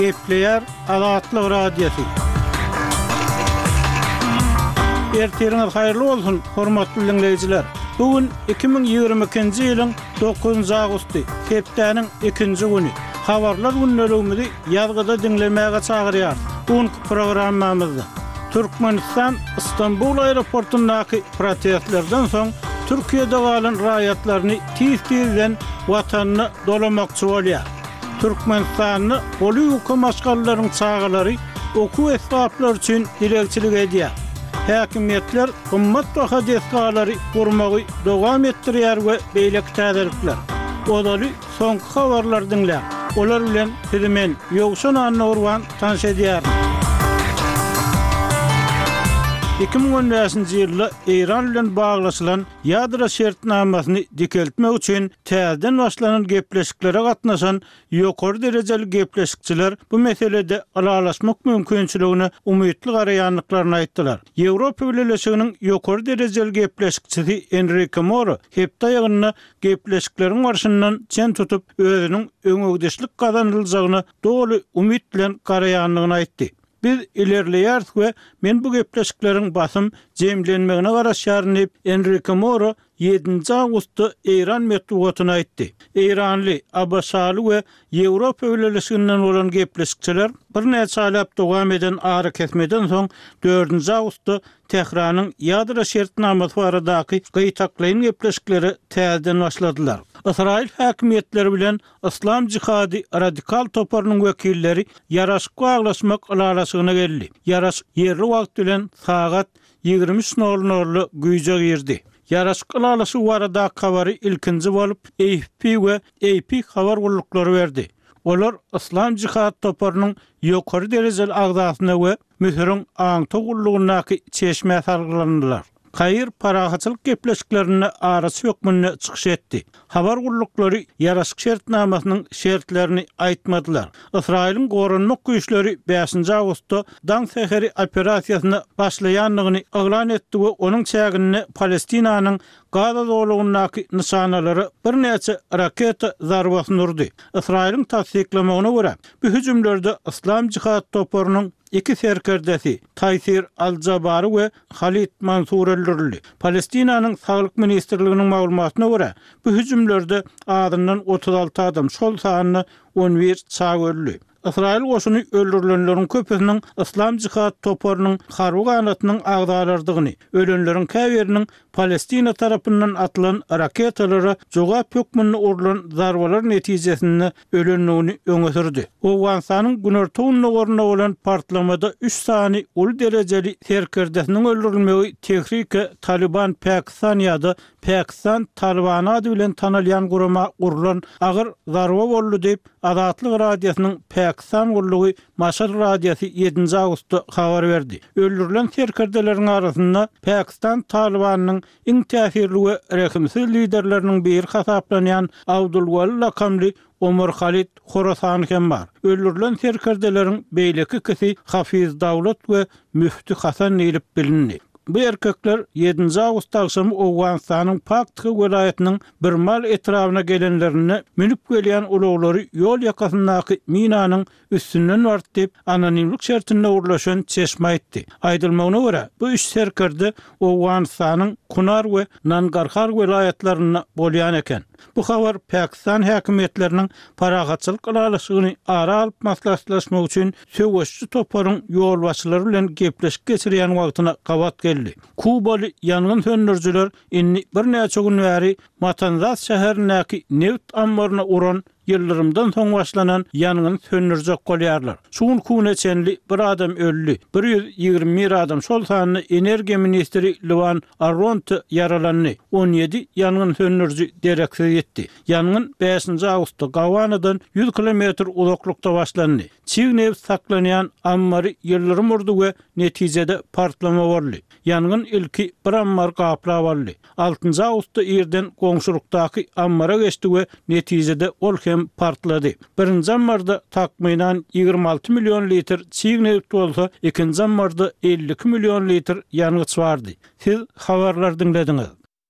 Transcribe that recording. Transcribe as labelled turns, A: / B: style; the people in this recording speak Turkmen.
A: Gepleýär Azatlyk Radiosy. Ertiriňiz haýyrly bolsun, hormatly diňleýjiler! Bu gün 2022-nji ýylyň dokuzynjy awgusty, hepdäniň ikinji güni. Habarlar gündeligimizi ýazgyda diňlemäge çagyrýarys. Bu günki programmamyzda Türkmenistan Stambul aeroportundaky protestlerden soň Türkiýede galan raýatlaryny tiz-tizden watanyna dolamakçy bolýar. Türkmenistanda goly ýuka maşgalalaryň çagalary okuw esbaplary üçin dilegçilik edýär. Häkimiýetler gymmatbaha desgalary gurmagy dowam etdirýär we beýleki täzelikler. Ozaly soňky habarlary diňläň. Olar bilen sizi men, Ýowşan Annagurban tanyş edýärin. 2015-nji ýylda Eýran bilen baglaşylan ýadro şertnamasyny dikeltmek üçin täzeden başlanan gepleşiklere gatnaşan ýokary derejeli gepleşikçiler bu meselede ylalaşmak mümkinçiligine umytly garaýandyklaryny aýtdylar. Ýewropa Bileleşiginiň ýokary derejeli gepleşikçisi Enrike Moro hepde aýagynda gepleşikleriň barşyndan çen tutup, özüniň öňegidişlik gazanyljagyna doly umyt bilen garaýandygyny aýtdy. Biz ilerleýäris we men bu gepleşikleriň basym jemlenmegine garaşýaryn diýip, Enrike Moro ýedinji awgustda eýran metbugatyna aýtdy. Eýranly, ABŞ-ly we Ýewropa Bileleşiginden bolan gepleşikçiler birnäçe aýlap dowam eden arakesmeden soň dördünji awgustda Tähranyň ýadro şertnamasy baradaky gytaklaýyn gepleşiklere täzeden başladylar. Ysraýyl häkimiýetleri bilen Yslam jihady radikal toparynyň wekilleri ýaraşyk baglaşmak ylalaşygyna geldi. Ýaraşyk ýerli wagt bilen sagat 23 nol nolda güýje girdi. Ýaraşyk ylalaşygy baradaky habary ilkinji bolup AFP we AP habar gulluklary berdi. Olar Yslam jihad toparynyň ýokary derejeli agzasyna we Müsüriň aňtaw gullugyndaky çeşmä salgylandylar. Kair parahatçylyk gepleşiklerinde araçy hökmünde çykyş etdi. Habar gulluklary ýaraşyk şertnamasynyň şertlerini aýtmadylar. Ysraýylyň goranmak güýçleri bäşinji awgustda Daň säheri operasiýasyna başlaýandygyny yglan etdi we onuň çäginde Palestinanyň Gaza zolagyndaky nyşanalara birnäçe raketa zarbasyny urdy. Ysraýylyň tassyklamagyna görä, bu hüjümlerde Yslam jihad toparynyň iki serkerdesi, Taýsir al-Jabary we Halid Mansur öldürildi. Palestinanyň Saglyk ministrliginiň maglumatyna görä, bu hüjümlerde azyndan 36 adam, şol sanda 11 çaga öldi. Ysraýyl goşuny öldürilenleriň köpüsiniň Yslam jihad toparynyň harby ganatynyň agzalarydygyny, ölenleriň käbiriniň Palestina tarapyndan atylan raketalara jogap hökmünde urlan zarbalar netijesinde ölendigini öňe sürdi. Owganystanyň günorta-gündogarynda bolan partlamada üç sany uly derejeli serkerdesiniň öldürilmegi Tehrike Talyban Pakistan ýa-da Pakistan Talybany ady bilen tanalýan gurama urlan agyr zarba boldy diýip, Azatlyk Radiosynyň Pakistan gullugy Maşal radiosy ýedinji awgustda habar berdi. Öldürilen serkerdeleriň arasynda Pakistan Talybanynyň iň täsirli we rehimsiz liderleriniň biri hasaplanýan Abdul Wali lakamly Omar Halid Horasany hem bar. Öldürilen serkerdeleriň beýleki ikisi Hafiz Dawlat we Müfti Hasan diýlip bilindi. Bu erkekler ýedinji awgust agşamy Owganystanyň Paktika welaýatynyň Birmal etrabyna gelenlerinde münüp gelýän ulaglary ýol ýakasyndaky minanyň üstünden bardy diýip, anonimlik şertinde gürleşen çeşme aýtdy. Aýdylmagyna görä, bu üç serkerde Owganystanyň Kunar we Nangarhar welaýatlarynda bolýan eken. Bu habar Pakistan häkimiýetleriniň parahatçylyk ylalaşygyny ara alyp maslahatlaşmak üçin söweşiji toparyň ýolbaşçylary bilen gepleşik geçirýän wagtyna gabat geldi. Kubaly ýangyn söndürijiler indi birnäçe gün bäri Matanzas şäherindäki nebit ammaryna uran ýyldyrymdan soň başlanan ýangyny söndürjek bolýarlar. Şu günki güne çenli bir adam öldi, 121 adam, şol sanda energiýa ministri Lwan Arronte ýaralandy, 17 ýangyn söndüriji dereksiz ýitdi. Ýangyn bäşinji awgustda Gawanadan ýüz kilometr uzaklykda başlandy. Çig nebit saklanýan ammary ýyldyrym urdy we netijede partlama boldy. Ýangyn ilki bir ammary gaplap aldy. Altynjy awgustda irden goňşulykdaky ammara geçdi we netijede ol hem partlady. Birinji ammarda takmynan 26 million litr çig nebit bolsa, ikinji ammarda 52 million litr ýangyç bardy. Siz habarlary diňlediňiz.